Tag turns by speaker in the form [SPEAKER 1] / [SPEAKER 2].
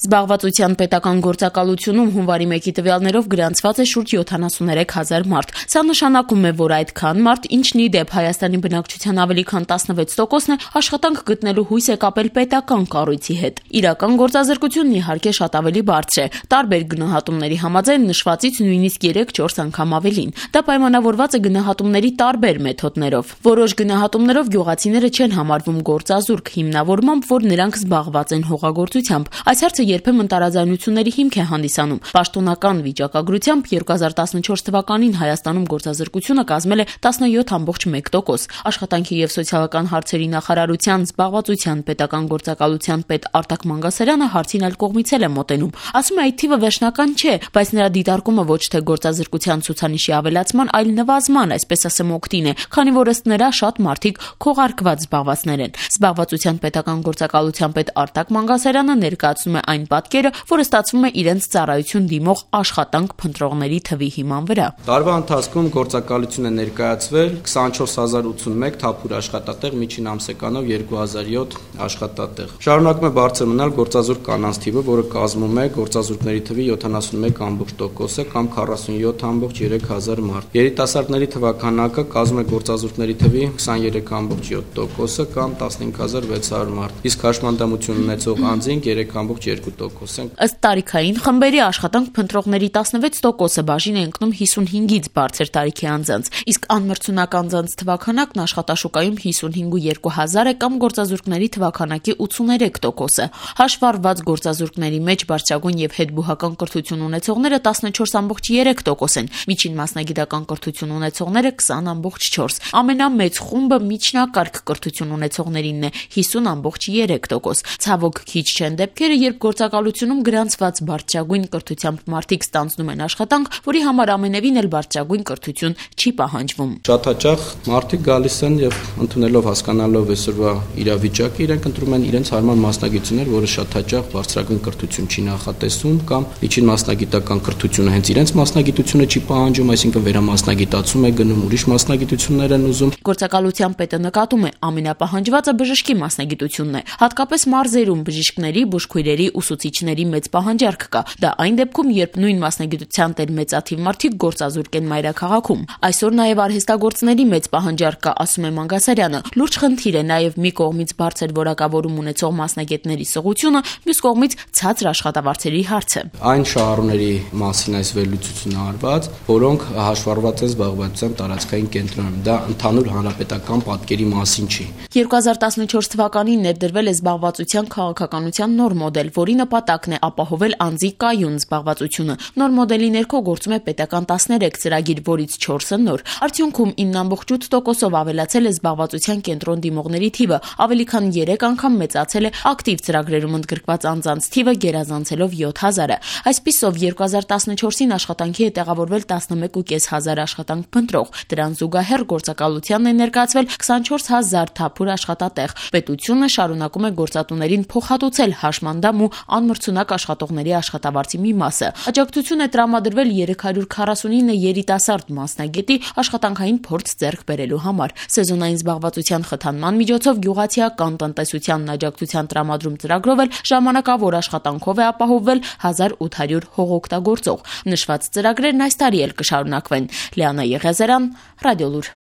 [SPEAKER 1] Զբաղվածության պետական գործակալությունում հունվարի 1-ի տվյալներով գրանցված է շուրջ 73,000 մարդ։ Սա նշանակում է, որ այդքան մարդ, ինչն ի դեպ Հայաստանի բնակչության ավելի քան 16%-ն է, աշխատանք գտնելու հույս է կապել պետական կառույցի հետ։ Իրական գործազրկությունն իհարկե շատ ավելի բարձր է։ Տարբեր գնահատումների համաձայն նշվածից նույնիսկ 3-4 անգամ ավելին։ Դա պայմանավորված է գնահատումների տարբեր մեթոդներով։ Որոշ գնահատումներով գյուղացիները չեն համարվում գործազուրկ, հիմնավորմամբ, որ նրանք զբաղված են հողագործությամբ։ Այս հարցը երբեմն տարաձայնությունների հիմք է հանդիսանում։ Պաշտոնական վիճակագրությամբ 2014 թվականին Հայաստանում գործազրկությունը կազմել է 17,1%։ Աշխատանքի և սոցիալական հարցերի նախարարության զբաղվածության պետական գործակալության պետ Արտակ Մանգասարյանը հարցին այլ կողմից է մոտենում։ Ասում է, այդ թիվը վերջնական չէ, բայց նրա դիտարկումը ոչ թե գործազրկության ցուցանիշի ավելացման, այլ նվազման, այսպես ասեմ, օգտին է, քանի որ ըստ նրա շատ մարդիկ քողարկված զբաղվածներ են։ Զբաղվածության պետական գործակալության պետ Արտակ Մանգասարյանը ներկայացնում է այն պատկերը, որը ստացվում է իրենց ծառայություն դիմող աշխատանք փնտրողների թվի հիման վրա։
[SPEAKER 2] Տարվա ընթացքում գործակալություն է ներկայացվել 24081 թափուր աշխատատեղ, միջին ամսեկանով 2007 աշխատատեղ։ Շարունակում է բարձր մնալ գործազուրկ կանանց թիվը, որը կազմում է գործազուրկների թվի 71,% կամ 47,3 մարդ։ Երիտասարդների թվաքանակը կազմում է գործազուրկների թվի 23,7% կամ 15600 մարդ։ Իսկ հաշմանդամություն ունեցող անձինք 3,2%։
[SPEAKER 1] Ըստ տարիքային խմբերի աշխատանք փնտրողների 16%-ը բաժին է ընկնում 55-ից բարձր տարիքի անձանց, իսկ անմրցունակ անձանց թվաքանակն աշխատաշուկայում 55,200 է կամ գործազուրկների թվաքանակի 83%-ը։ Հաշվառված գործազուրկների մեջ բարձրագույն եւ հետբուհական կրթություն ունեցողները 14,3% են, միջին մասնագիտական կրթություն ունեցողները 20,4%։ Ամենամեծ խումբը միջնակարգ կրթություն ունեցողներինն է 50,3%։ Ցավոք քիչ չեն դեպքերը, երբ գործակալությունում գրանցված բարձրագույն կրթությամբ մարդիկ ստանձնում են աշխատանք, որի համար ամենևին էլ բարձրագույն կրթություն չի պահանջվում։
[SPEAKER 2] Շատ հաճախ մարդիկ գալիս են եւ ընդունելով, հասկանալով այսօրվա իրավիճակը, իրենք ընտրում են իրենց հարմար մասնագիտություններ, որը շատ հաճախ բարձրագույն կրթություն չի նախատեսում կամ միջին մասնագիտական կրթությունը հենց իրենց մասնագիտությունը չի պահանջում, այսինքն վերամասնագիտացում է գնում, ուրիշ մասնագիտություններ են ուզում։
[SPEAKER 1] Գործակալության պետը նկատում է, ամենապահանջվածը բժշկի մասնագիտությունն է, հատկապես մարզերում բժիշկների, բուժքույրերի, ուսուցիչների մեծ պահանջարկ կա։ Դա այն դեպքում, երբ նույն մասնագիտության տեր մեծաթիվ մարդիկ գործազուրկ են մայրաքաղաքում։ Այսօր նաև արհեստագործների մեծ պահանջարկ կա, ասում է Մանգասարյանը։ Լուրջ խնդիր է նաև մի կողմից բարձր որակավորում ունեցող մասնագետների սղությունը, մյուս կողմից ցածր աշխատավարձերի հարցը։
[SPEAKER 2] Այն շահառուների մասին այս վերլուծությունը արված, որոնք հաշվառված են զբաղվածության տարածքային կենտրոնում։ Դա ընդհանուր հանրապետական պատկերի մասին չի։
[SPEAKER 1] 2014 թվականին ներդրվել է զբաղվածության քաղաքականության նոր մոդել, որի նպատակն է ապահովել անձի կայուն զբաղվածությունը։ Նոր մոդելի ներքո գործում է պետական 13 ծրագիր, որից 4-ը նոր։ Արդյունքում 9,8%-ով ավելացել է զբաղվածության կենտրոն դիմողների թիվը, ավելի քան 3 անգամ մեծացել է ակտիվ ծրագրերում ընդգրկված անձանց թիվը, գերազանցելով 7000-ը։ Այսպիսով 2014-ին աշխատանքի է տեղավորվել 11,500 աշխատանք փնտրող։ Դրան զուգահեռ գործակալությանն է ներկայացվել 24000 թափուր աշխատատեղ։ Պետությունը շարունակում է գործատուներին փոխհատուցել հաշմանդամ ու անմրցունակ աշխատողների աշխատավարձի մի մասը։ Աջակցություն է տրամադրվել 349 երիտասարդ մասնագետի աշխատանքային փորձ ձեռք բերելու համար։ Սեզոնային զբաղվածության խթանման միջոցով գյուղացիական տնտեսությանն աջակցության տրամադրում ծրագրով էլ ժամանակավոր աշխատանքով է ապահովվել 1800 հողօգտագործող։ Նշված ծրագրերն այս տարի էլ կշարունակվեն։ Լիանա Եղիազարյան, Ռադիոլուր։